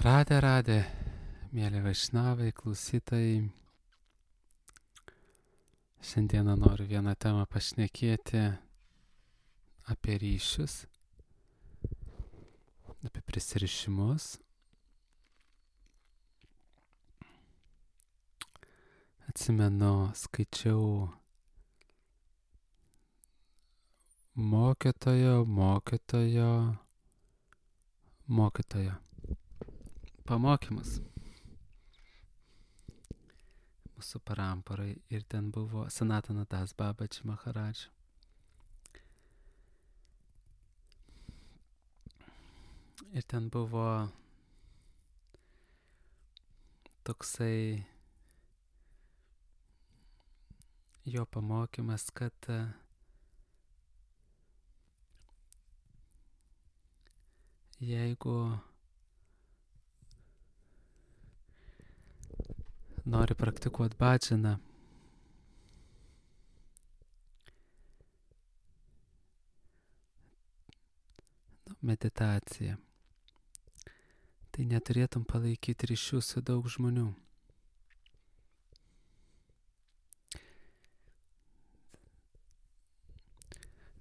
Radė, mėly vaišnavai, klausytojai. Šiandieną noriu vieną temą pašnekėti apie ryšius, apie prisirišimus. Atsimenu, skaičiau mokytojo pamokymus mūsų paramparai ir ten buvo Sanatana Das Babaji Maharaj. Ir ten buvo toksai jo pamokymas, kad jeigu nori praktikuoti bhadžaną, meditaciją, tai neturėtum palaikyti ryšių su daug žmonių.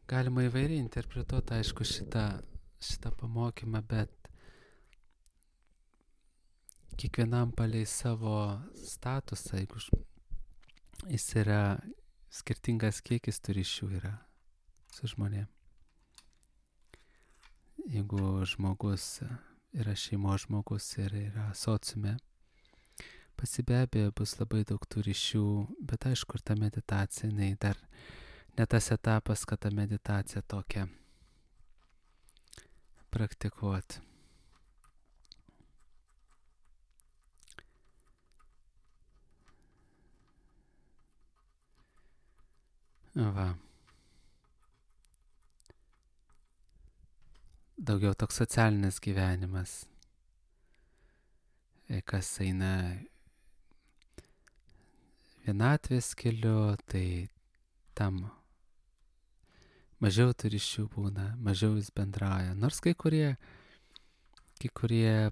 Galima įvairiai interpretuoti, aišku, šitą pamokymą, bet kiekvienam palei savo statusą, jeigu jis yra skirtingas kiekis tų ryšių yra su žmonėm. Jeigu žmogus yra šeimos žmogus ir yra sociume, be abejo bus labai daug tų ryšių, bet aišku, ir ta meditacija, dar ne tas etapas, kad tą meditaciją tokią praktikuoti. Va. Daugiau toks socialinis gyvenimas. Kas eina vienatvės keliu, tai tam mažiau tų ryšių būna, mažiau jis bendrauja. Nors kai kurie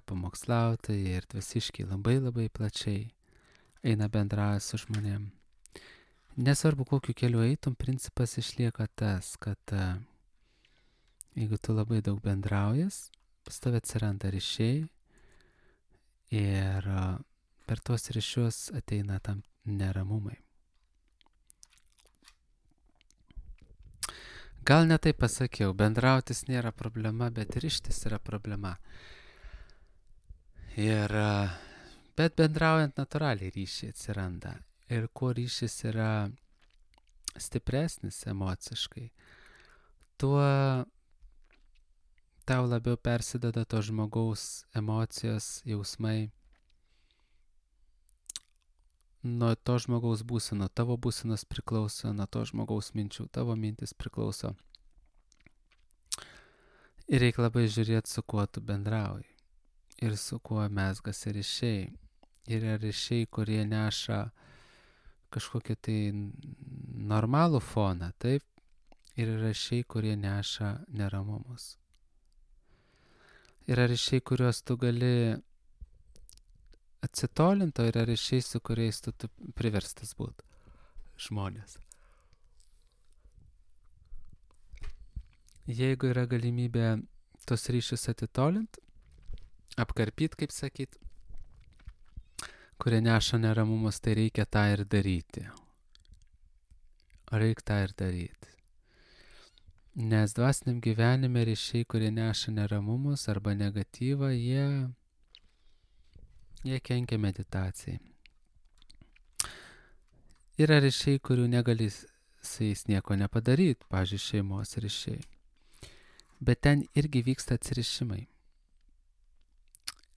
pamokslautojai ir dvasiškiai labai plačiai eina bendrauja su žmonėm. Nesvarbu, kokiu keliu eitum, principas išlieka tas, kad jeigu tu labai daug bendraujas, pas tave atsiranda ryšiai ir per tuos ryšius ateina tam neramumai. Gal ne taip pasakiau, bendrautis nėra problema, bet ryštis yra problema. Bet bendraujant natūraliai ryšiai atsiranda. Ir kuo ryšys yra stipresnis emociškai, tuo tau labiau persideda to žmogaus emocijos, jausmai nuo to žmogaus būsenų. Tavo būsenos priklauso nuo to žmogaus minčių, tavo mintis priklauso. Ir reikia labai žiūrėti, su kuo tu bendrauji ir su kuo mezgasi ryšiai. Yra ryšiai, kurie neša kažkokį tai normalų foną, taip, ir yra ryšiai, kurie neša neramumus. Yra ryšiai, kuriuos tu gali atsitolinti, o yra ryšiai, su kuriais tu priverstas būti žmonės. Jeigu yra galimybė tos ryšius atitolinti, apkarpyti, kaip sakyt, kurie neša neramumus, tai reikia tą ir daryti. Nes dvasiniam gyvenime ryšiai, kurie neša neramumus arba negatyvą, jie kenkia meditacijai. Yra ryšiai, kurių negali su jais nieko nepadaryti, pavyzdžiui, šeimos ryšiai. Bet ten irgi vyksta atsirišimai.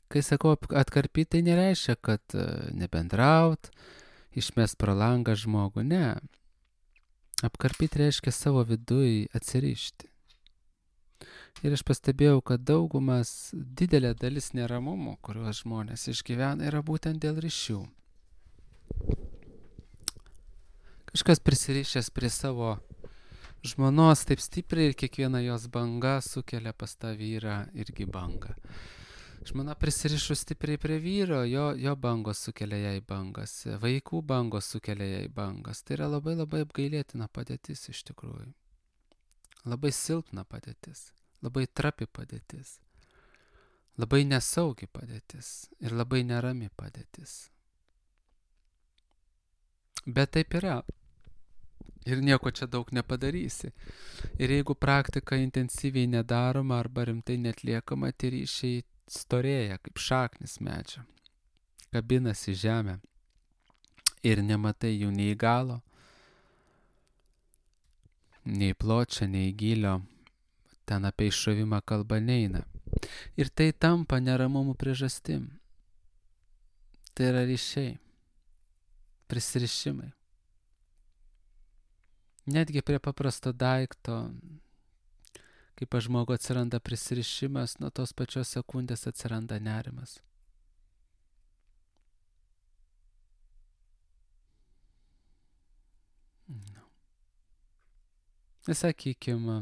Kai sakau atkarpyti, tai nereiškia, kad nebendraut, išmest pro langą žmogų, ne. Apkarpyti reiškia savo viduj atsirišti. Ir aš pastebėjau, kad didelė dalis neramumų, kuriuos žmonės išgyvena, yra būtent dėl ryšių. Kažkas prisirišęs prie savo žmonos taip stipriai ir kiekviena jos banga sukelia pas tą vyrą irgi bangą. Žmona prisirišus stipriai prie vyro, jo bangos sukelia jai bangas, vaikų bangos sukelia jai bangas. Tai yra labai labai apgailėtina padėtis iš tikrųjų. Labai silpna padėtis, labai trapi padėtis, labai nesaugi padėtis ir labai nerami padėtis. Bet taip yra. Ir nieko čia daug nepadarysi. Ir jeigu praktika intensyviai nedaroma arba rimtai netliekama, tie ryšiai storėja kaip šaknis medžio, kabinasi žemę ir nematai jų nei galo, nei pločio, nei gylio, ten apie iššovimą kalba neina. Ir tai tampa neramumų priežastim. Tai yra ryšiai, prisirišimai. Netgi prie paprasto daikto, kai pas žmogų atsiranda prisirišimas, nuo tos pačios sekundės atsiranda nerimas. Sakykime,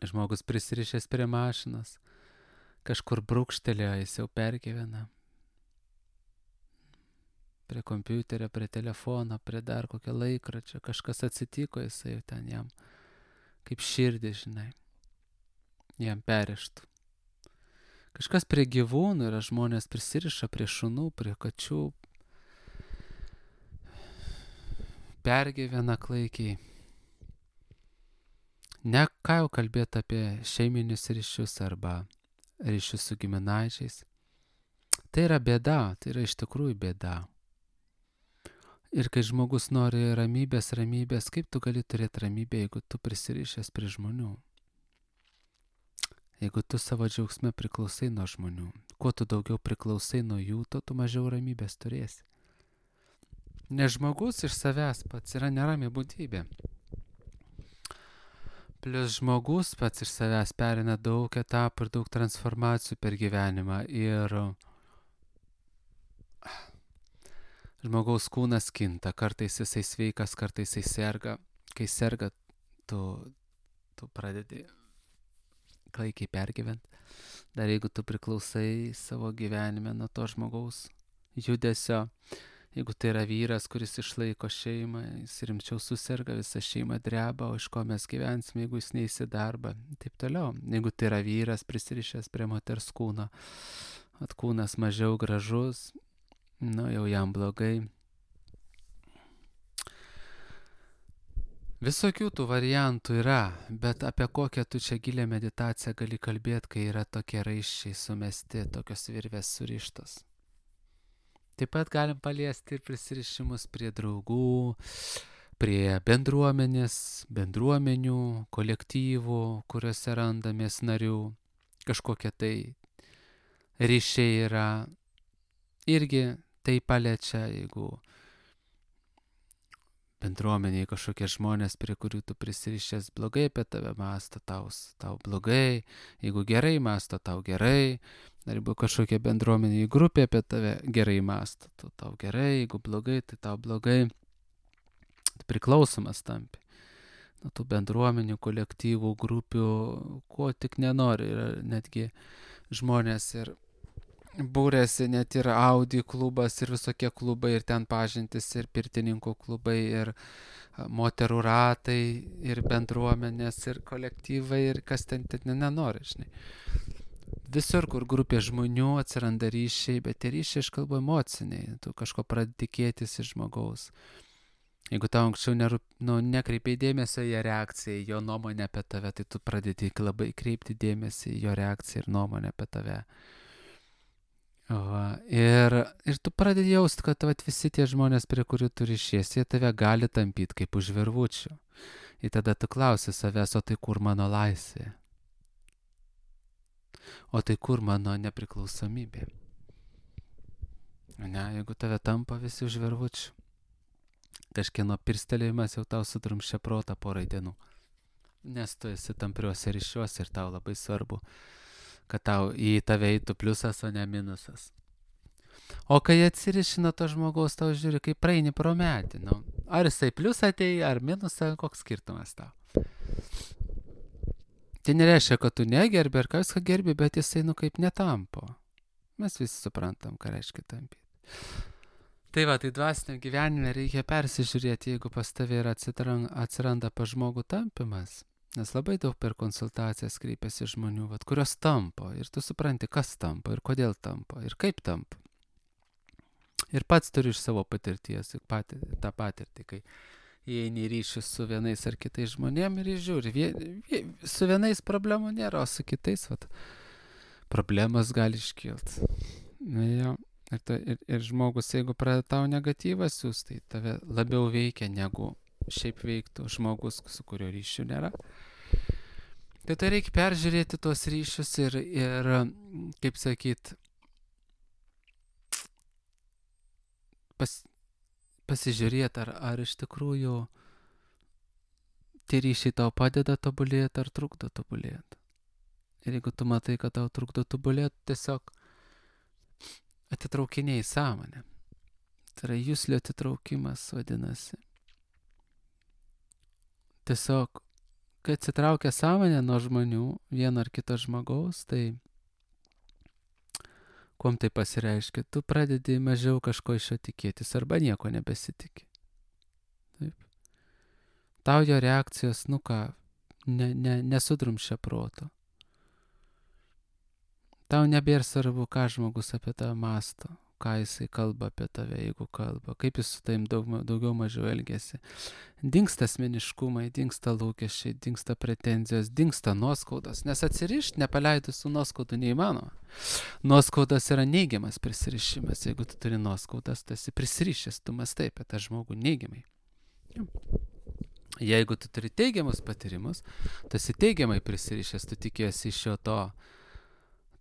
žmogus prisirišęs prie mašinos, kažkur brūkštelėjo, jis jau pergyvena. Prie kompiuterio, prie telefono, prie dar kokio laikračio, kažkas atsitiko, jisai jau ten jam kaip širdį, žinai, jam perrištų. Kažkas prie gyvūnų, yra žmonės prisiriša prie šunų, prie kačių, pergyvena klaikiai. Ne ką jau kalbėti apie šeiminius ryšius arba ryšius su giminaičiais. Tai yra bėda, tai yra iš tikrųjų bėda. Ir kai žmogus nori ramybės, kaip tu gali turėti ramybę, jeigu tu prisirišęs prie žmonių? Jeigu tu savo džiaugsme priklausai nuo žmonių, kuo tu daugiau priklausai nuo jų, to tu mažiau ramybės turėsi. Nes žmogus iš savęs pats yra nerami būtybė. Plius žmogus pats iš savęs perina daug etapų ir daug transformacijų per gyvenimą. Ir žmogaus kūnas kinta, kartais jisai sveikas, kartais jisai serga. Kai serga, tu pradedi klaikiai pergyventi. Dar jeigu tu priklausai savo gyvenime nuo to žmogaus judesio, jeigu tai yra vyras, kuris išlaiko šeimą, jis rimčiau suserga, visa šeima dreba, o iš ko mes gyvensime, jeigu jis neįsi darbą, taip toliau. Jeigu tai yra vyras prisirišęs prie moters kūno, kūnas mažiau gražus, jau jam blogai. Visokių tų variantų yra, bet apie kokią tu čia gilią meditaciją gali kalbėti, kai yra tokie raiščiai sumesti, tokios virvės surištos. Taip pat galim paliesti ir prisirišimus prie draugų, prie bendruomenės, bendruomenių, kolektyvų, kuriuose randamės narių. Kažkokie tai ryšiai yra. Irgi tai paliečia, jeigu bendruomeniai kažkokie žmonės, prie kurių tu prisirišęs blogai apie tave mąsto, tau blogai, jeigu gerai mąsto, tau gerai, ar jeigu kažkokia bendruomeniai grupė apie tave gerai mąsto, tau gerai, jeigu blogai, tai tau blogai, priklausomas tampi. Nuo tų bendruomenių, kolektyvų, grupių, ko tik nenori, yra netgi žmonės ir būrėsi net ir Audi klubas ir visokie klubai ir ten pažintis ir pirtininkų klubai ir moterų ratai ir bendruomenės ir kolektyvai ir kas ten nenori, žinai. Visur, kur grupė žmonių atsiranda ryšiai, bet tie ryšiai aš kalbu emociniai, tu kažko pradedi tikėtis iš žmogaus. Jeigu tau anksčiau nekreipiai dėmesio į jo reakciją, į jo nuomonę apie tave, tai tu pradedi labai kreipti dėmesį į jo reakciją ir nuomonę apie tave. Ir tu pradedi jausti, kad visi tie žmonės, prie kurių tu ryšies, jie tave gali tampyti kaip už virvučių. Ir tada tu klausi savęs, o tai kur mano laisvė? O tai kur mano nepriklausomybė? Ne, jeigu tave tampa visi už virvučių, kažkieno pirstelėjimas jau tau sudrumščia protą porai dienų. Nes tu esi tampriuose ryšiuose ir tau labai svarbu, kad tau į tave eitų pliusas, o ne minusas. O kai atsiriši nuo to žmogaus, tau žiūri, kaip praeini pro medį. Ar jisai pliusą atei, ar minusą, koks skirtumas tau? Tai nereiškia, kad tu negerbi ar kas ką gerbi, bet jisai, kaip netampo. Mes visi suprantam, ką reiškia tampyti. Tai va, tai dvasiniam gyvenime reikia persižiūrėti, jeigu pas tavai atsiranda pas žmogų tampimas. Nes labai daug per konsultacijas kreipiasi žmonių, kurios tampo. Ir tu supranti, kas tampo, ir kodėl tampo, ir kaip tampo. Ir pats turi iš savo patirties tą patirtį, kai įeini į ryšius su vienais ar kitais žmonėm ir žiūri. Su vienais problemų nėra, o su kitais problemas gali iškilti. Ir žmogus, jeigu pradeda tau negatyvą siūs, tai tave labiau veikia, negu šiaip veiktų žmogus, su kurio ryšių nėra. Tai reikia peržiūrėti tuos ryšius ir kaip sakyt, pasižiūrėti, ar iš tikrųjų tie ryšiai tau padeda tobulėti ar trukdo tobulėti. Ir jeigu tu matai, kad tau trukdo tobulėti, tiesiog atitraukinėjai sąmonę. Tai yra juslio atitraukimas vadinasi. Tiesiog, kai atsitraukia sąmonė nuo žmonių, vieno ar kito žmogaus, tai kuom tai pasireiškia? Tu pradedi mažiau kažko iš jo tikėtis arba nieko nebesitikė. Taip. Tau jo reakcijos, nesudrumšia proto. Tau nebėra svarbu, ką žmogus apie tave mąsto, ką jisai kalba apie tave, jeigu kalba, kaip jis su tavim daugiau mažiau elgiasi. Dingsta asmeniškumai, dingsta lūkesčiai, dingsta pretenzijos, dingsta nuoskaudos, nes atsirišti nepaleidus su nuoskaudu neįmanoma. Nuoskaudas yra neigiamas prisirišimas. Jeigu tu turi nuoskaudas, tu esi prisirišęs, tu mąstai apie tą žmogų neigiamai. Jeigu tu turi teigiamus patyrimus, tu esi teigiamai prisirišęs, tu tikėsi iš jo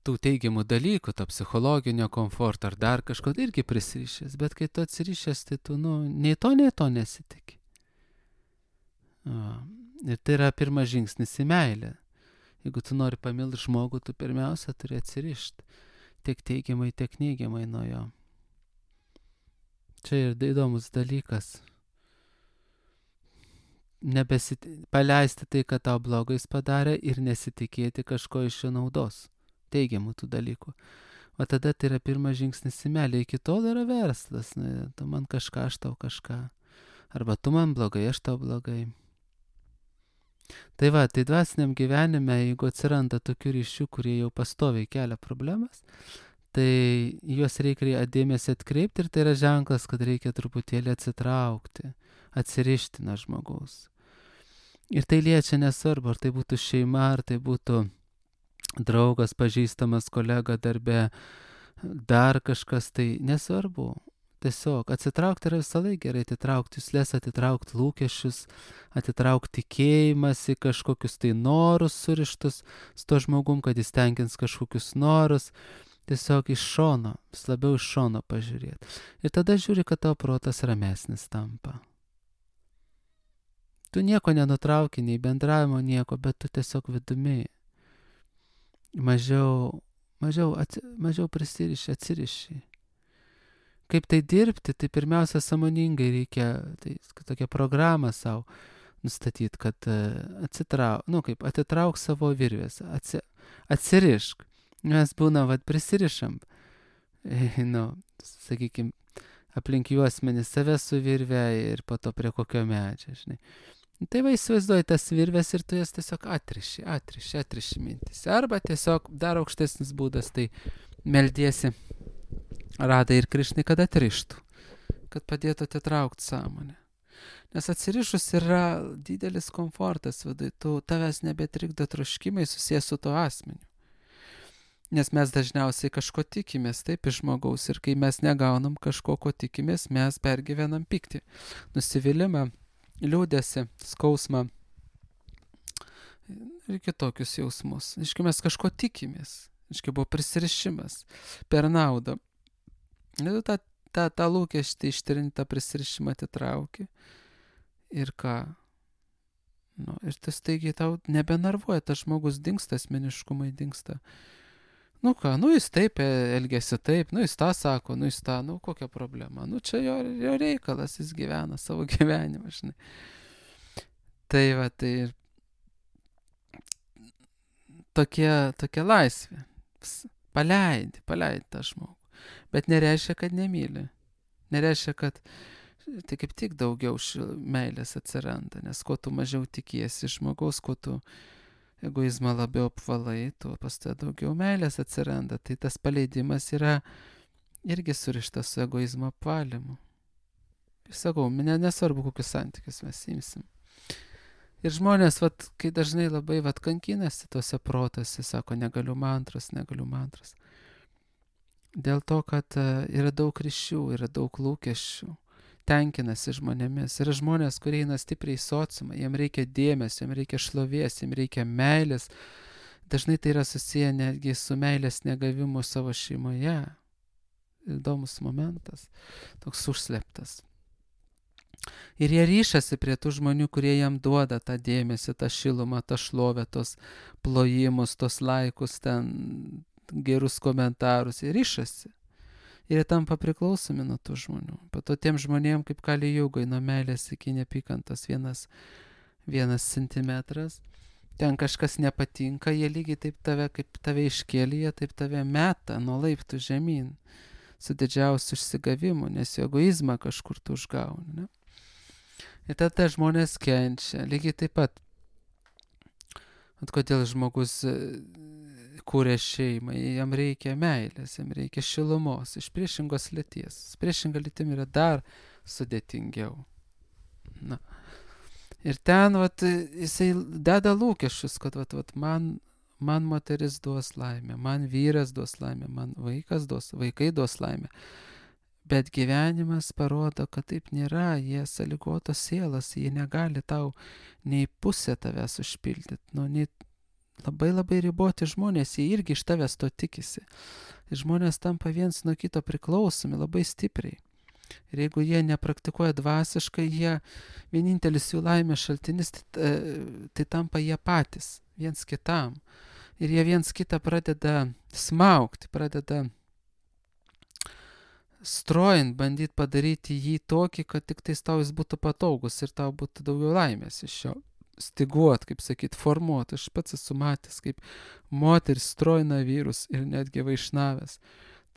tų teigiamų dalykų, to psichologinio komforto ar dar kažko irgi prisirišęs, bet kai tu atsirišęs, tai tu nei to nesitikė. Ir tai yra pirmas žingsnis į meilę. Jeigu tu nori pamilti žmogų, tu pirmiausia turi atsirišti tiek teigiamai, tiek neigiamai nuo jo. Čia ir įdomus dalykas. Paleisti tai, kad tau blogais padarė ir nesitikėti kažko iš jo naudos. Teigiamų tų dalykų. O tada tai yra pirmas žingsnis į meilę. Iki tol yra verslas. Tu man kažką, aš tau kažką. Arba tu man blogai, aš tau blogai. Tai dvasiniam gyvenime, jeigu atsiranda tokių ryšių, kurie jau pastoviai kelia problemas, tai juos reikia dėmesį atkreipti ir tai yra ženklas, kad reikia truputėlį atsitraukti, atsirišti nuo žmogaus. Ir tai liečia nesvarbu, ar tai būtų šeima, ar tai būtų draugas, pažįstamas, kolega darbe, dar kažkas, tai nesvarbu. Tiesiog atsitraukti yra visą laiką gerai, atitraukti juslės, atitraukti lūkesčius, atitraukti tikėjimąsi, kažkokius tai norus surištus su to žmogum, kad jis tenkins kažkokius norus. Tiesiog iš šono, vis labiau iš šono pažiūrėti. Ir tada žiūri, kad tavo protas ramesnis tampa. Tu nieko nenutrauki, nei bendravimo nieko, bet tu tiesiog vidumi mažiau prisiriši, atsiriši. Kaip tai dirbti, tai pirmiausia sąmoningai reikia, tai tokią programą savo nustatyti, kad atitrauk savo virvės, atsirišk. Mes būna, prisirišam, sakykime, aplink juosmenį save su virve ir po to prie kokio medžio, žinai. Tai įsivaizduoji tas virves ir tu jas tiesiog atriši mintis. Arba tiesiog dar aukštesnis būdas, tai meldiesi Radai ir Krišnai, kad atrištų, kad padėtų atitraukti sąmonę. Nes atsirišus yra didelis komfortas viduje, tavęs nebetrikdo troškimai susijęs su to asmeniu. Nes mes dažniausiai kažko tikimės, taip, iš žmogaus, ir kai mes negaunam kažko, ko tikimės, mes pergyvenam pyktį, nusivylimą, liūdesį, skausmą ir kitokius jausmus. Iškai mes kažko tikimės, iškai buvo prisirišimas per naudą. Ir tą lūkestį ištrinti, tą prisirišimą atitrauki ir ką? Ir tas staigiai tau nebenarvuoja, tas žmogus dingsta, asmeniškumai dingsta. Jis taip elgėsi taip, jis tą sako, jis tą, kokia problema. Čia jo reikalas, jis gyvena savo gyvenimą, žinai. Tai tokia laisvė. Paleidi tą žmogų. Bet nereiškia, kad nemyli. Nereiškia, kad tai kaip tik daugiau meilės atsiranda, nes kuo tu mažiau tikiesi žmogaus, kuo tu egoizmą labiau apvalai, tuo pas tai daugiau meilės atsiranda. Tai tas paleidimas yra irgi surištas su egoizmo apvalymu. Ir sakau, nesvarbu, kokius santykius mes imsim. Ir žmonės, kai dažnai labai kankinasi tose protose, sako, negaliu mantros. Dėl to, kad yra daug ryšių, yra daug lūkesčių, tenkinasi žmonėmis. Yra žmonės, kurie eina stipriai į sociumą, jiems reikia dėmesio, jiems reikia šlovės, jiems reikia meilės. Dažnai tai yra susiję netgi su meilės negavimu savo šeimoje. Įdomus momentas, toks užslėptas. Ir jie ryšasi prie tų žmonių, kurie jam duoda tą dėmesį, tą šilumą, tą šlovę, tos plojimus, tos laikus, ten gerus komentarus. Jie ryšasi. Ir jie tampa priklausomi nuo tų žmonių. Po to tiem žmonėm kaip Kali Jugai, nuo meilės iki neapykantos vienas centimetras. Ten kažkas nepatinka, jie lygiai taip kaip tave iškėlė, taip tave meta nuo laiptų žemyn. Su didžiausiu išsigavimu, nes jo egoizmą kažkur tu užgauni. Ne? Ir tada žmonės kenčia. Lygiai taip pat. Kodėl žmogus kūrė šeimą, jam reikia meilės, jam reikia šilumos, iš priešingos lyties. Priešinga lytim yra dar sudėtingiau. Na. Ir ten jisai deda lūkesčius, kad man moteris duos laimę, man vyras duos laimę, man vaikai duos laimę. Bet gyvenimas parodo, kad taip nėra, jie sąlygotos sielas, jie negali tau nei pusę tavęs užpildyti, nei labai riboti žmonės, jie irgi iš tavęs to tikisi. Ir žmonės tampa viens nuo kito priklausomi labai stipriai. Ir jeigu jie nepraktikuoja dvasiškai, vienintelis jų laimės šaltinis, tai tampa jie patys, viens kitam. Ir jie viens kitą pradeda smaugti, pradeda strojant, bandyti padaryti jį tokį, kad tik tais tau jis būtų patogus ir tau būtų daugiau laimės iš jo. Stiguot, kaip sakyt, formuot. Aš pats esu matęs, kaip moteris strojina vyrus ir netgi vaišnavęs.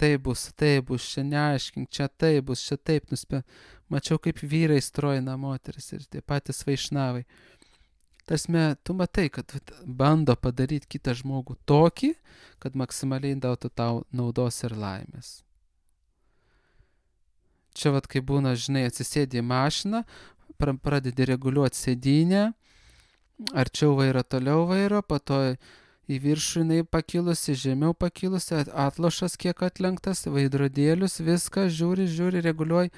Tai bus, čia neaiškink, čia tai bus, čia taip nuspė. Mačiau, kaip vyrai strojina moteris ir tie patys vaišnavai. Tasme, tu matai, kad bando padaryti kitą žmogų tokį, kad maksimaliai duotų tau naudos ir laimės. Čia kai būna, žinai, atsisėdi į mašiną, pradedi reguliuoti sėdynę, arčiau vairo, toliau vairo, po to į viršų jinai pakilusi, žemiau pakilusi, atlošas kiek atlenktas, veidrodėlius, viską žiūri, reguliuoji.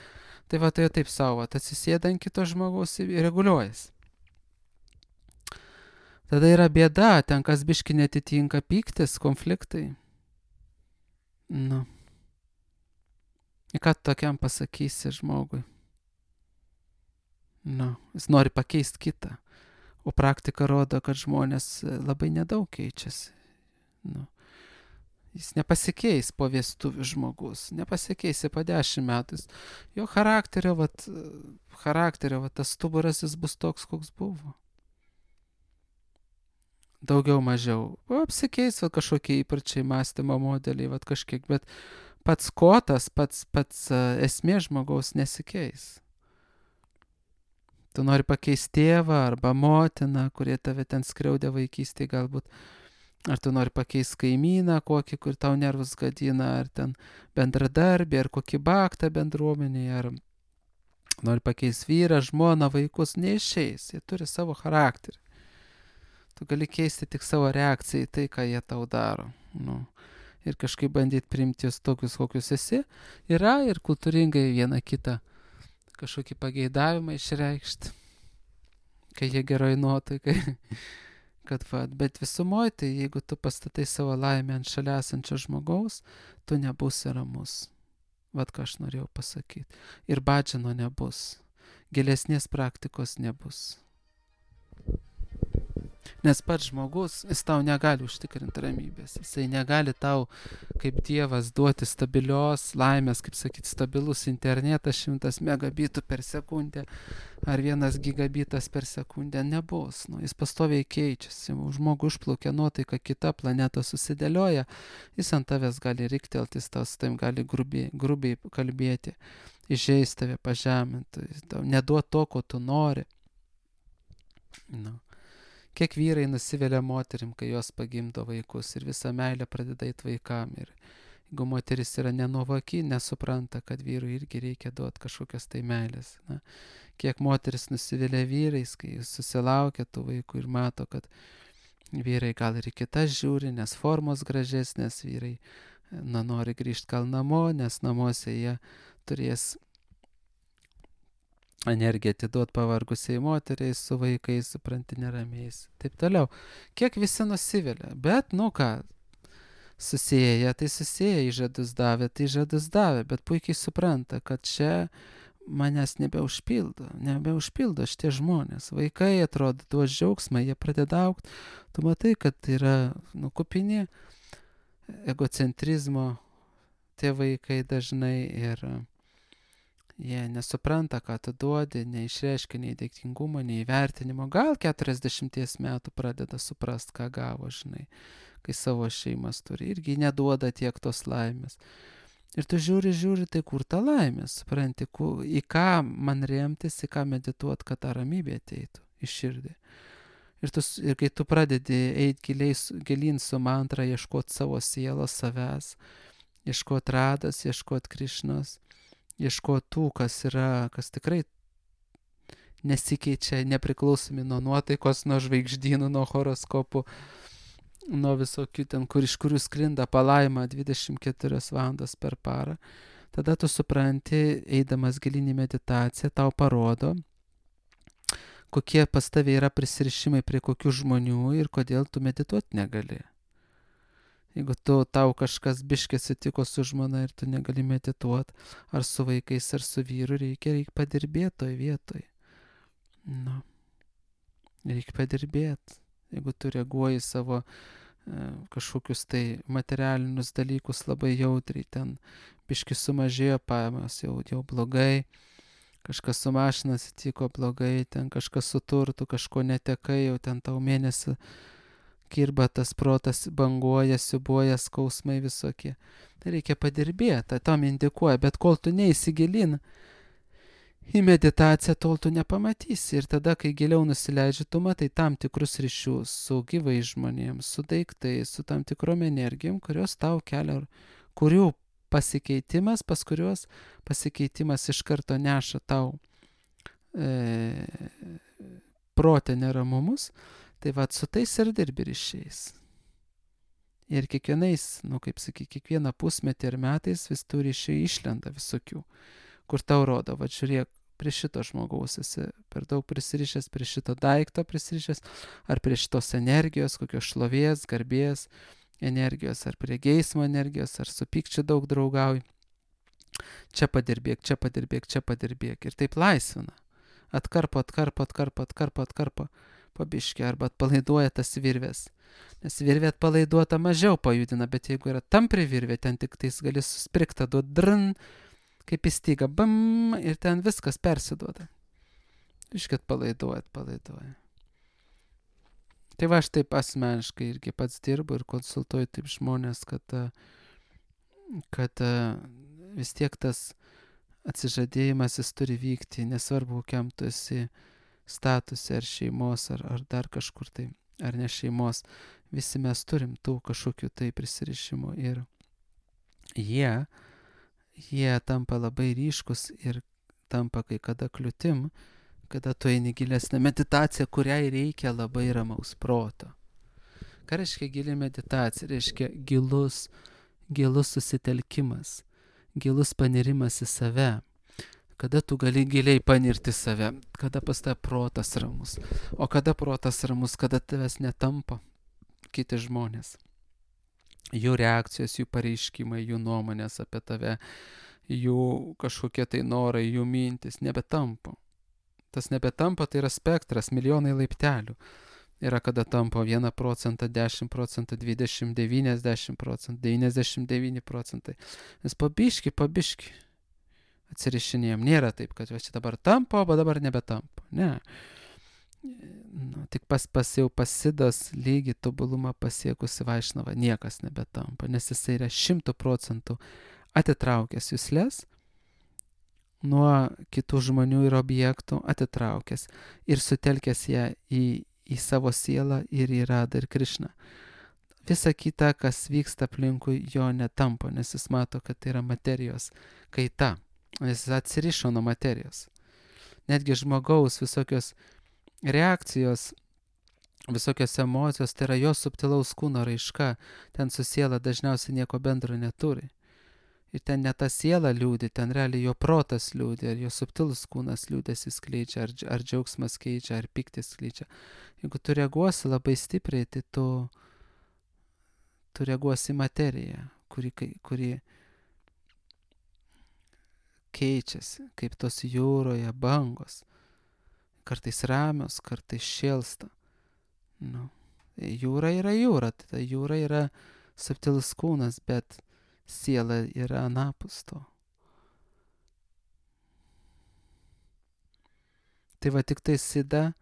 Tai tai taip savo, atsisėda ant kito žmogaus ir reguliuojas. Tada yra bėda, ten kas biški netitinka, pyktis, konfliktai. Nu. Ir ką tu tokiam pasakysi žmogui? Nu, jis nori pakeisti kitą. O praktika rodo, kad žmonės labai nedaug keičiasi. Nu, jis nepasikeis po vestuvių žmogus, nepasikeisi po 10 metų. Jo charakterio, tas stuburas jis bus toks, koks buvo. Daugiau mažiau. Apsikeis kažkokie įpročiai, mąstymo modeliai, kažkiek, bet pats kotas, pats esmė žmogaus nesikeis. Tu nori pakeisti tėvą arba motiną, kurie tave ten skriaudė vaikystėje galbūt. Ar tu nori pakeisti kaimyną kokį, kur tau nervus gadina, ar ten bendradarbį, ar kokį baktą bendruomenėje, ar nori pakeisti vyrą, žmoną, vaikus, neišeis. Jie turi savo charakterį. Tu gali keisti tik savo reakciją į tai, ką jie tau daro. Nu. Ir kažkaip bandyti priimti jūs tokius, kokius esi. Yra ir kultūringai vieną kitą kažkokį pageidavimą išreikšti, kai jie geroj nuotaikai. Bet visumoje, tai jeigu tu pastatai savo laimę ant šalia esančio žmogaus, tu nebūsi ramus. Ką aš norėjau pasakyti. Ir badžino nebus. Gilesnės praktikos nebus. Nes pats žmogus, jis tau negali užtikrinti ramybės. Jisai negali tau, kaip Dievas, duoti stabilios laimės, kaip sakyti, stabilus internetas 100 megabitų per sekundę ar 1 gigabitas per sekundę nebus. Nu, jis pastoviai keičiasi. Žmogų užplaukia nuotaika, kita planeta susidėlioja, jis ant tavęs gali riktelti, jis tau su tavim gali grubiai kalbėti, įžeisti tave, pažeminti, neduoti to, ko tu nori. Nu. Kiek vyrai nusivelia moterim, kai jos pagimdo vaikus ir visą meilę pradeda eit vaikam. Ir jeigu moteris yra nenuovaki, nesupranta, kad vyrui irgi reikia duoti kažkokios tai meilės. Na, kiek moteris nusivelia vyrais, kai susilaukia tų vaikų ir mato, kad vyrai gal ir kitas žiūri, nes formos gražesnės, vyrai nori grįžti gal namo, nes namuose jie turės energiją atiduot pavargusiai moteriai su vaikais, supranti, neramiais. Taip toliau. Kiek visi nusivelia. Bet, nu ką, susėję, tai susėję, įžadus davė, bet puikiai supranta, kad čia manęs nebeužpildo šitie žmonės. Vaikai atrodo, duos džiaugsmą, jie pradeda augti. Tu matai, kad yra kupini egocentrizmo tie vaikai dažnai ir jie nesupranta, ką tu duodi, neišreiškia nei dėkingumo, nei įvertinimo. Gal 40 metų pradeda suprast, ką gavo, žinai, kai savo šeimas turi. Irgi neduoda tiek tos laimės. Ir tu žiūri, tai kur ta laimė, supranti, į ką man remtis, į ką medituot, kad ta ramybė ateitų į širdį. Ir kai tu pradedi eiti gilin su mantra, ieškoti savo sielos, savęs, ieškoti radas, ieškoti Krišnos, ieškoti tų, kas tikrai nesikeičia, nepriklausomi nuo nuotaikos, nuo žvaigždynų, nuo horoskopų, nuo visokių ten, iš kurių sklinda palaima 24 valandas per parą. Tada tu supranti, eidamas gilinį meditaciją, tau parodo, kokie pas tave yra prisirišimai prie kokių žmonių ir kodėl tu medituoti negali. Jeigu tau kažkas biškė sutiko su žmona ir tu negali medituoti, ar su vaikais, ar su vyru, reikia padirbėti toj vietoj. Nu, reikia padirbėti. Jeigu tu reaguoji savo kažkokius tai materialinius dalykus labai jautriai, ten biškį sumažėjo pajamos, jau blogai, kažkas su mašina atsitiko blogai, ten kažkas su turtu, kažko netekai, jau ten tau mėnesį kirba tas protas, banguoja, siubuoja, skausmai visokie. Tai reikia padirbėti, tam indikuoja, bet kol tu neįsigilin į meditaciją, tol tu nepamatysi. Ir tada, kai giliau nusileidži, tu matai tam tikrus ryšius su gyvai žmonėms, su daiktais, su tam tikrom energijom, kurios tau kelia, kurių pasikeitimas, pas kurios pasikeitimas iš karto neša tau protę neramumus. Tai va, su tais ir dirbi ryšiais. Ir kiekvieną pusmetį ir metais vis tų ryšių išlenda visokių, kur tau rodo, va žiūrėk, prie šito žmogaus esi per daug prisirišęs, prie šito daikto prisirišęs, ar prie šitos energijos, kokios šlovės, garbės energijos, ar prie geismo energijos, ar su pykčiu daug draugauji. Čia padirbėk. Ir taip laisvina. Atkarpo. Pabiškį, arba atpalaiduoja tas virvės. Nes virvė atpalaiduota mažiau pajudina, bet jeigu yra tampri virvė, ten tik tais gali susprigta, duot drn, kaip įstyga, bam, ir ten viskas persiduoda. Biškį atpalaiduoja. Tai va, aš taip asmeniškai irgi pats dirbu ir konsultuoju taip žmonės, kad vis tiek tas atsižadėjimas jis turi vykti, nesvarbu, kokiam tu esi statusė, ar šeimos, ar dar kažkur tai, ar ne šeimos. Visi mes turim tų kažkokių tai prisirišimų ir jie tampa labai ryškus ir tampa kai kada kliūtim, kada tu eini gilesnę meditaciją, kuriai reikia labai ramaus proto. Ką reiškia gili meditacija? Reiškia gilus susitelkimas, gilus panirimas į save. Kada tu gali giliai panirti save, kada pas tave protas ramus. O kada protas ramus, kada tavęs netampa kiti žmonės. Jų reakcijos, jų pareiškimai, jų nuomonės apie tave, jų kažkokie tai norai, jų mintis nebetampa. Tas nebetampa, tai yra spektras, milijonai laiptelių. Yra kada tampa 1 procentą, 10 procentų, 20, 90 procentų, 99 procentai. Nes pabiški atsirišinėjom. Nėra taip, kad čia dabar tampa, o dabar nebetampa. Ne. Tik jau pasidos lygį tobulumą pasiekusi Vaišnava niekas nebetampa, nes jisai yra 100 procentų atitraukęs juslės nuo kitų žmonių ir objektų, atitraukęs ir sutelkęs ją į savo sielą ir į Radą ir Krišną. Visa kita, kas vyksta aplinkui, jo netampa, nes jis mato, kad tai yra materijos kaita. Jis atsirišo nuo materijos. Netgi žmogaus visokios reakcijos, visokios emocijos, tai yra jo subtilaus kūno raiška, ten su siela dažniausiai nieko bendro neturi. Ir ten ne ta siela liūdi, ten realiai jo protas liūdi, ar jo subtilus kūnas liūdėsi skleidžia, ar džiaugsmas keičia, ar piktis skleidžia. Jeigu tu reaguosi labai stipriai, tai tu reaguosi į materiją, kuri keičiasi, kaip tos jūroje bangos. Kartais ramios, kartais šėlsta. Jūra yra jūra, tai jūra yra subtilus kūnas, bet siela yra anapus to. Tai va tik tai Siddha,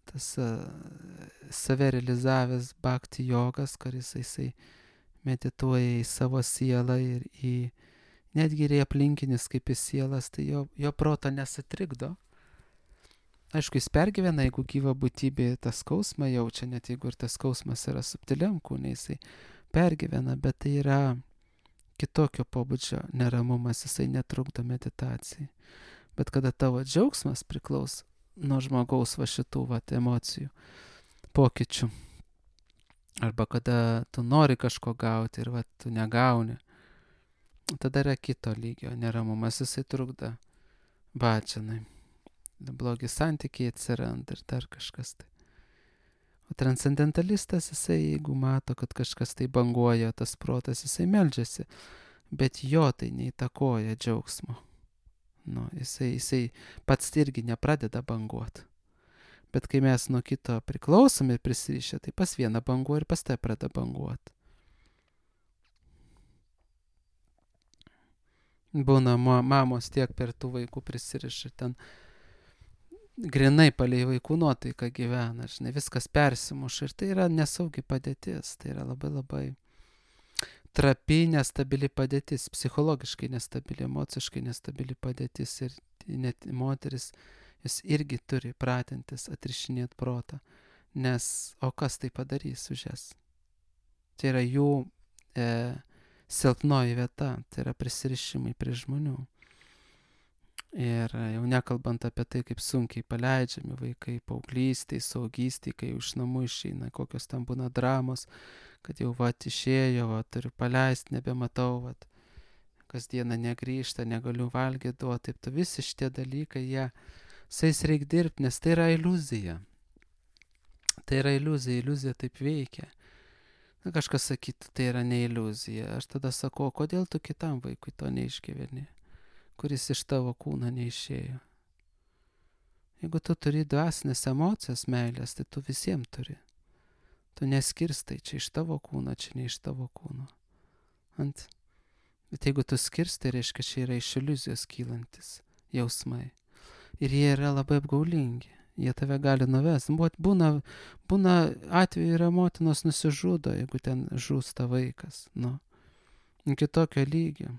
tas save realizavęs bhakti jogas, kuris jisai medituoja į savo sielą ir netgi ir į aplinkinis kaip į sielas, tai jo proto nesutrikdo. Aišku, jis pergyvena, jeigu gyva būtybė tą skausmą jaučia, net jeigu ir tas skausmas yra subtiliam kūne, jisai pergyvena, bet tai yra kitokio pobūdžio neramumas, jisai netrukdo meditacijai. Bet kada tavo džiaugsmas priklauso nuo žmogaus va šitų emocijų, pokyčių, arba kada tu nori kažko gauti ir tu negauni, tada yra kito lygio neramumas, jisai trukdo bhajanai. Blogi santykiai atsiranda ir dar kažkas tai. O transcendentalistas, jisai, jeigu mato, kad kažkas tai banguoja, tas protas, jisai meldžiasi, bet jo tai neįtakoja džiaugsmo. Jisai pats irgi nepradeda banguoti. Bet kai mes nuo kito priklausomi ir prisirišę, tai pas vieną banguoja ir pas tai pradeda banguoti. Būna mamos tiek per tų vaikų prisiriša, ten grinai palei vaikų nuotaiką gyvena, viskas persimuša ir tai yra nesaugi padėtis, tai yra labai labai trapi, nestabili padėtis, psichologiškai nestabili, emociškai nestabili padėtis ir net moteris, jis irgi turi pratintis, atrišinėti protą, nes o kas tai padarys už jas? Tai yra jų silpnoji vieta, tai yra prisirišimai prie žmonių. Ir jau nekalbant apie tai, kaip sunkiai paleidžiami vaikai paauglystėj, saugystėj, kai iš namų išeina, kokios ten būna dramos, kad jau išėjo, turiu paleisti, nebematau, kasdieną negrįžta, negaliu valgyti duoti, taip visi šitie dalykai, su jais reikia dirbti, nes tai yra iliuzija. Tai yra iliuzija taip veikia. Kažkas sakytų, tai yra ne iliuzija. Aš tada sakau, kodėl tu kitam vaikui to neišgyveni, kuris iš tavo kūno neišėjo. Jeigu tu turi dvasinės emocijas, meilės, tai tu visiems turi. Tu neskirstai, čia iš tavo kūno, čia ne iš tavo kūno. Bet jeigu tu skirstai, reiškia, čia yra iš iliuzijos kylantis jausmai. Ir jie yra labai apgaulingi. Jie tave gali nuvesti. Būna atveju yra motinos nusižudo, jeigu ten žūsta vaikas. Iki tokio lygio.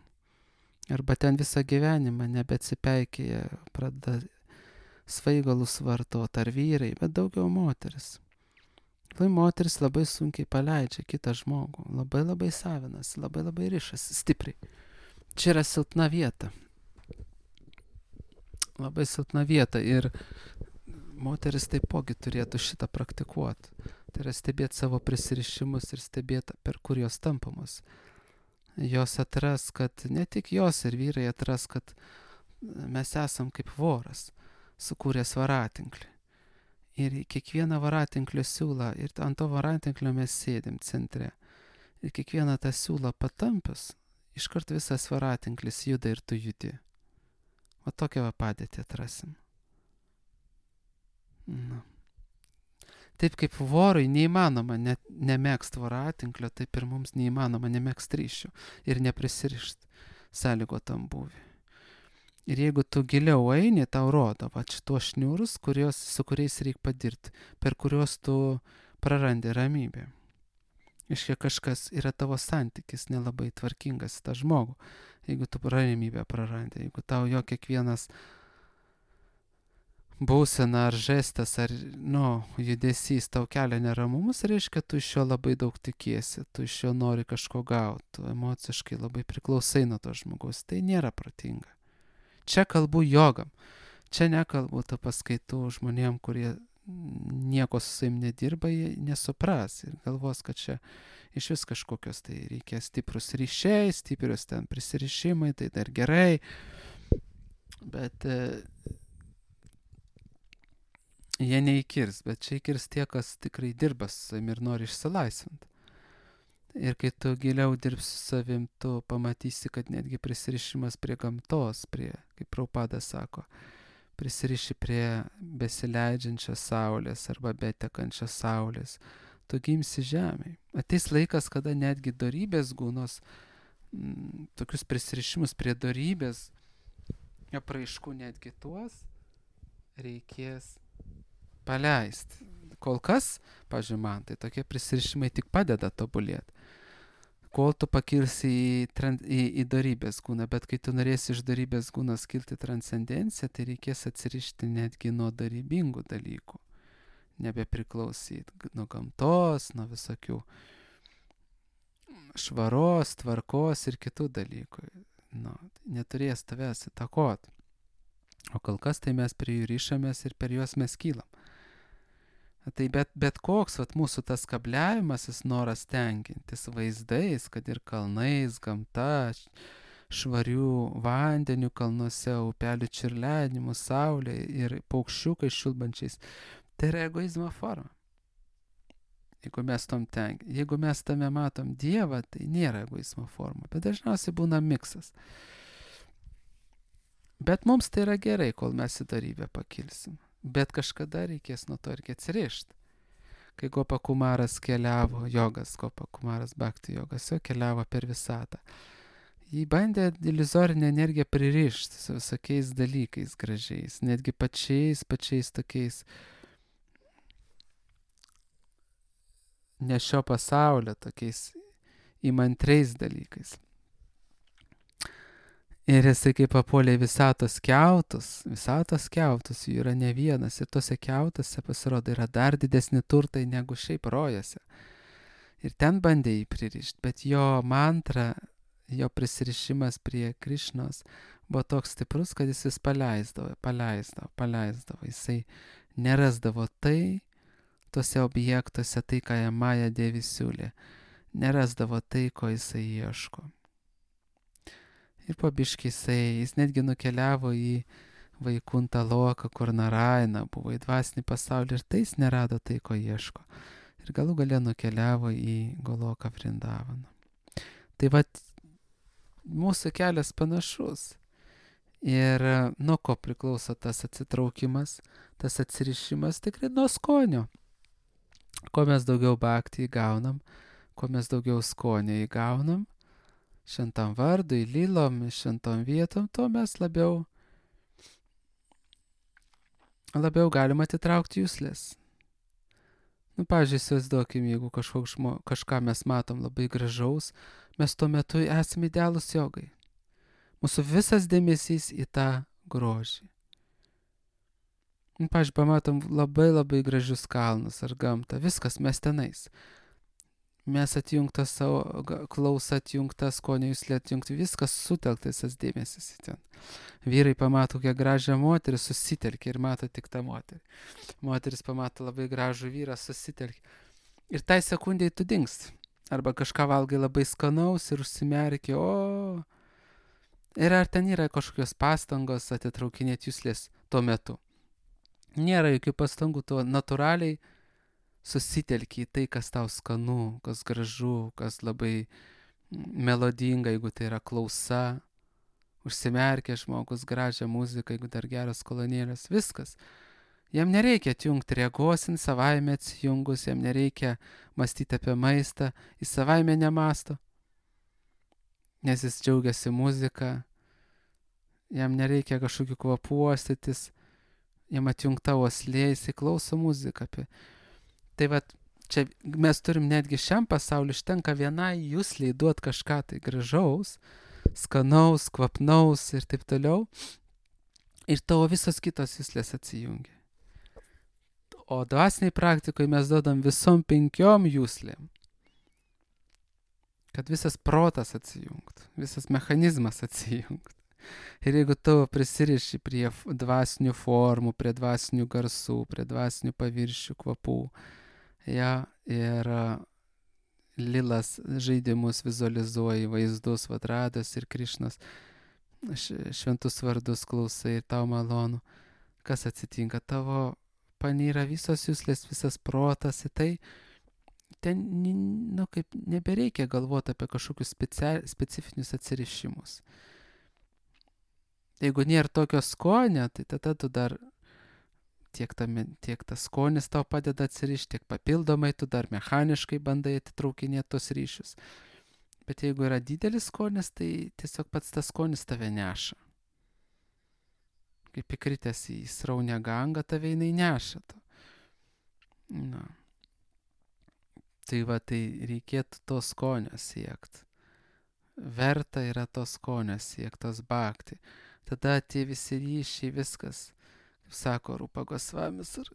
Arba ten visą gyvenimą nebeatsipeikėja, pradeda svaigalus vartot, ar vyrai, bet daugiau moteris. Moteris labai sunkiai paleidžia kitą žmogų, labai labai savinasi, labai labai rišasi, stipriai. Čia yra silpna vieta. Labai silpna vieta ir moteris taipogi turėtų šitą praktikuoti. Tai yra stebėti savo prisirišimus ir stebėti, per kur jos tampamos. Jos atras, kad ne tik jos ir vyrai atras, kad mes esam kaip voras, sukūręs varatinklį. Ir kiekvieną varatinklio siūlą, ir ant to varatinklio mes sėdim centre. Ir kiekvieną tą siūlą patampius, iškart visas varatinklis juda ir tu judi. O tokią padėtį atrasim. Taip kaip vorui neįmanoma nemėgst voratinklio, taip ir mums neįmanoma nemėgst ryšių ir neprisirišt sąlygotam būviui. Ir jeigu tu giliau eini, tau rodo, va šitos šniūrus, su kuriais reikia padirbti, per kuriuos tu prarandi ramybę. Iškia kažkas yra tavo santykis nelabai tvarkingas į tą žmogų, jeigu tu ramybę prarandi, jeigu tau jo kiekvienas būsena ar žestas ar judesys tau kelia neramumus, reiškia, tu iš jo labai daug tikiesi, tu iš jo nori kažko gauti, tu emociškai labai priklausai nuo to žmogaus, tai nėra protinga. Čia kalbu jogam, čia nekalbu to paskaitų žmonėm, kurie nieko su savim nedirba, jie nesupras ir galvos, kad čia iš vis kažkokios tai reikia stiprus ryšiai, stiprius ten prisirišimai, tai dar gerai, bet jie neįkirs, bet čia įkirs tie, kas tikrai dirba su savim ir nori išsilaisvinti. Ir kai tu giliau dirbsi su savim, tu pamatysi, kad netgi prisirišimas prie gamtos, kaip Prabhupada sako, prisiriši prie besileidžiančios saulės arba betekančios saulės, tu gimsi žemėje. Ateis laikas, kada netgi dorybės gūnos, tokius prisirišimus prie dorybės, apraiškų netgi tuos reikės paleisti. Kol kas, pavyzdžiui, man, tai tokie prisirišimai tik padeda tobulėti. Kol tu pakilsi į dorybės gūną, bet kai tu norėsi iš dorybės gūnos kilti transcendenciją, tai reikės atsirišti netgi nuo dorybingų dalykų. Nebepriklausyti nuo gamtos, nuo visokių švaros, tvarkos ir kitų dalykų. Neturės tavęs įtakot. O kol kas tai mes prie jų ryšamės ir per juos mes kylam. Tai bet koks mūsų tas kabliavimasis noras tenkintis vaizdais, kad ir kalnais, gamta, švarių vandenių kalnuose, upelių čiurlenimu, saulė ir paukščiukai šilbančiais, tai yra egoizmo forma. Jeigu mes tame matom Dievą, tai nėra egoizmo forma, bet dažniausiai būna miksas. Bet mums tai yra gerai, kol mes į dorybę pakilsim. Bet kažkada reikės nuo to irgi atsirišti. Kai Gopa Kumaras keliavo, Gopa Kumaras Bhakti jogas, jo keliavo per visatą. Jį bandė iliuzorinę energiją pririšti su visokiais dalykais gražiais, netgi pačiais tokiais ne šio pasaulio, tokiais įmantriais dalykais. Ir jisai kaip papuolė visatos kiautus, jų yra ne vienas, ir tose kiautose pasirodo yra dar didesni turtai negu šiaip rojose. Ir ten bandė jį pririšti, bet jo mantra, jo prisirišimas prie Krišnos buvo toks stiprus, kad jis vis paleisdavo. Jisai nerasdavo tose objektuose, tai, ką jam Maja Devi siūlė. Nerasdavo tai, ko jisai ieško. Ir po biškį jis netgi nukeliavo į Vaikuntą Loką, kur Naraina buvo, į dvasinį pasaulį, ir tai jis nerado tai, ko ieško. Ir galų gale nukeliavo į Goloką Vrindavaną. Tai mūsų kelias panašus. Ir nuo ko priklauso tas atsitraukimas, tas atsirišimas, tikrai nuo skonio. Kuo mes daugiau bhakti įgaunam, kuo mes daugiau skonio įgaunam, šventam vardui, lylom, šventom vietom, to mes labiau galim atitraukti juslės. Pavyzdžiui, įsivaizduokim, jeigu kažką mes matom labai gražaus, mes tuo metu esame idealūs jogai. Mūsų visas dėmesys į tą grožį. Pavyzdžiui, pamatom labai gražius kalnus ar gamtą, viskas mes tenais. Mes atjungta savo klausą, atjungta skonio juslė, atjungti, viskas sutelktas tas dėmesys į ten. Vyrai pamato kokią gražią moterį, susitelkia ir mato tik tą moterį. Moteris pamato labai gražų vyrą, susitelkia. Ir tai sekundėj tu dingsti. Arba kažką valgai labai skanaus ir užsimerki, Ir ar ten yra kažkokios pastangos atitraukinėti juslės tuo metu? Nėra jokių pastangų, tuo natūraliai susitelki į tai, kas tau skanu, kas gražu, kas labai melodinga, jeigu tai yra klausa, užsimerkia žmogus, gražią muziką, jeigu dar geras kolonėlės, viskas. Jam nereikia atjungti regos, jis savaime atsijungus, jam nereikia mąstyti apie maistą, jis savaime nemąsto, nes jis džiaugiasi muzika, jam nereikia kažkokių kvapų uostytis, jam atjungta uoslė, jis klauso muziką. Tai vat, čia mes turim netgi šiam pasauliu užtenka vienai jusliai duot kažką tai gražaus, skanaus, kvapnaus ir taip toliau, ir tavo visos kitos juslės atsijungia. O dvasiniai praktikoje mes duodam visom 5 juslėm, kad visas protas atsijungtų, visas mechanizmas atsijungtų. Ir jeigu tu prisiriši prie dvasinių formų, prie dvasinių garsų, prie dvasinių paviršių, kvapų, ir lilas žaidimus vizualizuoji, vaizdus, Radas ir Krišnas, šventus vardus klausai ir tau malonu, kas atsitinka, tavo panyra visos juslės, visas protas į tai, ten, kaip nebereikia galvoti apie kažkokius specifinius atsirišimus. Jeigu nėra tokio skonio, tai tada tu dar tiek tas skonis tau padeda atsirišti, tiek papildomai tu dar mechaniškai bandai atitraukinėti tos ryšius. Bet jeigu yra didelis skonis, tai tiesiog pats tas skonis tave neša. Kaip įkritęs į sraunę gangą, tave jinai neša. Tai reikėtų to skonio siekti. Verta yra to skonio siekti, tos bhakti. Tada tie visi ryšiai, viskas, kaip sako Rupa Gosvamis, ir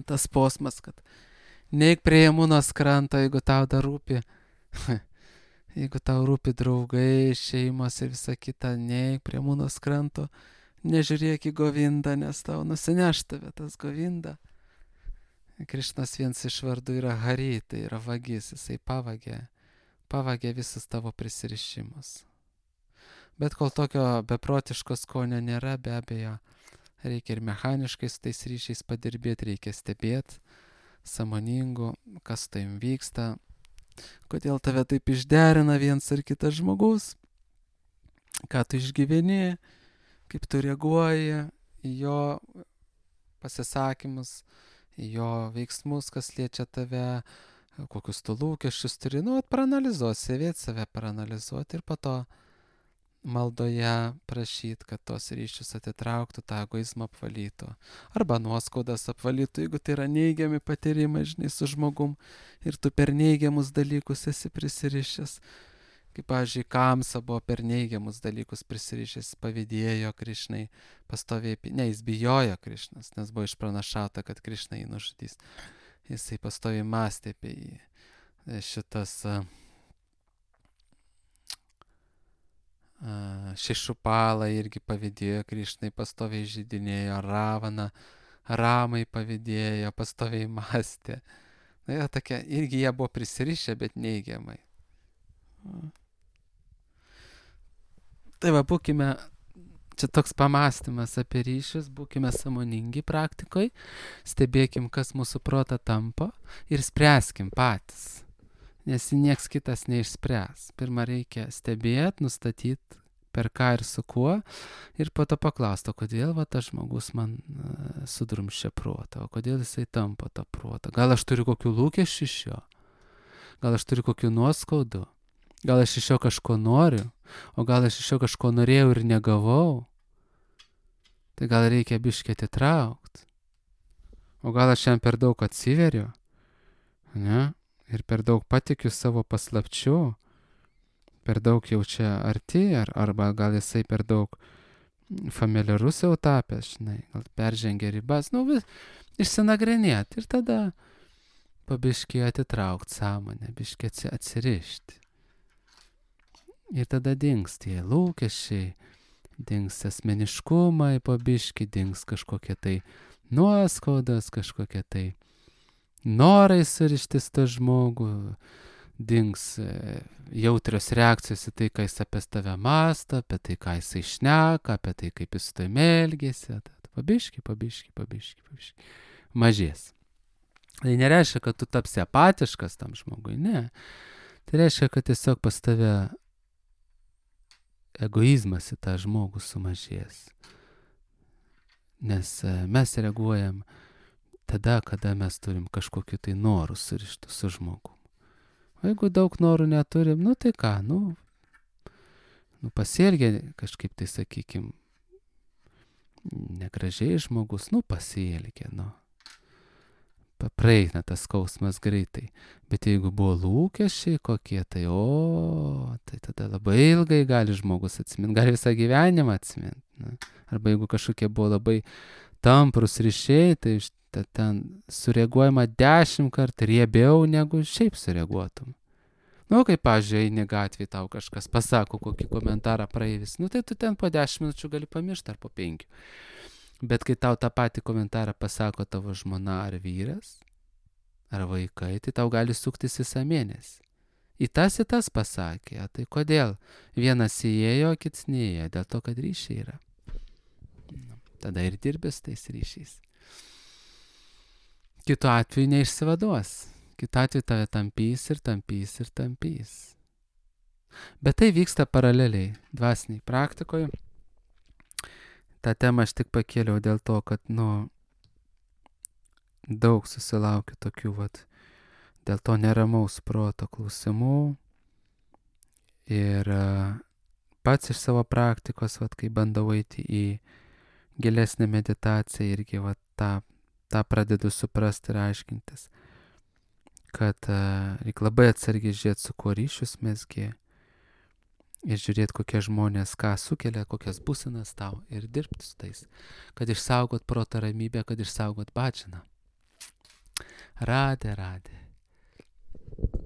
tas posmas, kad neik prie Jamunos kranto, jeigu tau dar rūpi, jeigu tau rūpi draugai, šeimos ir visa kita, neik prie Jamunos kranto, nežiūrėk į Govindą, nes tau nusineš tave tas Govinda. Krišnas vienas iš vardų yra Hari, tai yra vagis, jisai pavagė visus tavo prisirišimus. Bet kol tokio beprotiško skonio nėra, be abejo, reikia ir mechaniškai su tais ryšiais padirbėti, reikia stebėti, sąmoningu, kas tai vyksta, kodėl tave taip išderina viens ar kitas žmogus, ką tu išgyveni, kaip tu reaguoji į jo pasisakymus, į jo veiksmus, kas liečia tave, kokius tu lūkesčius turi, paranalizuoti, save paranalizuoti ir po to maldoje prašyti, kad tos ryšius atitrauktų, tą egoizmą apvalytų. Arba nuoskaudas apvalytų, jeigu tai yra neigiami patyrimai, žinai, su žmogum ir tu per neigiamus dalykus esi prisirišęs. Kaip, pavyzdžiui, Kamsa buvo per neigiamus dalykus prisirišęs, pavydėjo Krišnai, pastoviai, jis bijojo Krišnas, nes buvo išpranašauta, kad Krišna jį nužudys. Jisai pastoviai mąstė apie jį. Šitas Šišupala irgi pavydėjo Krišnai, pastoviai žydinėjo, Ramai pavydėjo, pastoviai mąstė. Tokia, irgi jie buvo prisirišę, bet neigiamai. Tai būkime, čia toks pamąstymas apie ryšius, būkime sąmoningi praktikoje, stebėkim, kas mūsų protą tampo ir spręskim patys. Nes nieks kitas neišspręs. Pirmą reikia stebėti, nustatyti, per ką ir su kuo, ir po to paklausti, kodėl tas žmogus man sudrumščia protą, o kodėl jisai tampo tą protą. Gal aš turiu kokių lūkesčių iš jo, gal aš turiu kokių nuoskaudų, gal aš iš jo kažko noriu, o gal aš iš jo kažko norėjau ir negavau. Tai gal reikia biškį atitraukti. O gal aš jam per daug atsiveriu, ne? Ir per daug patikiu savo paslapčių, per daug jau čia arti, arba gal jisai per daug familiarus jau tapęs, žinai, gal peržengia ribas, išsinagrinėti ir tada pabiškį atitraukti sąmonę, biškį atsirišti. Ir tada dings tie lūkesčiai, dings asmeniškumai, pabiškį dings kažkokie tai nuoskaudas, kažkokie tai norai surištis tą žmogų, dings jautrios reakcijos į tai, ką jis apie tave mąsto, apie tai, ką jisai šneka, apie tai, kaip jis su tavimi elgiasi. Pabiškį. Mažės. Tai nereiškia, kad tu tapsi apatiškas tam žmogui, ne. Tai reiškia, kad tiesiog pas tave egoizmas į tą žmogų sumažės. Nes mes reaguojam tada, kada mes turim kažkokiu tai norų surištų su žmogum. O jeigu daug norų neturim, nu tai ką, pasielgia kažkaip tai, sakykim, negražiai žmogus, pasielgia, praeina tas skausmas greitai. Bet jeigu buvo lūkesčiai kokie, tai tai tada labai ilgai gali žmogus atsiminti, gali visą gyvenimą atsiminti. Arba jeigu kažkokie buvo labai tamprus ryšiai, tai ten sureaguojama 10 kartų riebiau negu šiaip sureaguotum. Kaip, pavyzdžiui, eini gatvėje, tau kažkas pasako kokį komentarą praeivis, tai tu ten po 10 minučių gali pamiršti ar po 5. Bet kai tau tą patį komentarą pasako tavo žmona ar vyras, ar vaikai, tai tau gali suktis visą mėnesį. Į tas pasakė, tai kodėl? Vienas įėjo, kits neėjo, dėl to, kad ryšiai yra. Tada ir dirbės tais ryšiais. Kitu atveju neišsivaduos. Kitu atveju tave tampys ir tampys ir tampys. Bet tai vyksta paraleliai dvasiniai praktikoje. tą temą aš tik pakėliau dėl to, kad, daug susilaukiu tokių, dėl to neramaus proto klausimų. Ir pats iš savo praktikos, kai bandau eiti į gilesnę meditaciją, irgi tą pradedu suprasti ir aiškintis, kad reikia labai atsargiai žiūrėti, su kuo ryšius mesgi, ir žiūrėti, kokie žmonės ką sukelia, kokias būsenas tau, ir dirbti su tais, kad išsaugot proto ramybę, kad išsaugot bhajaną. Radhe, radhe.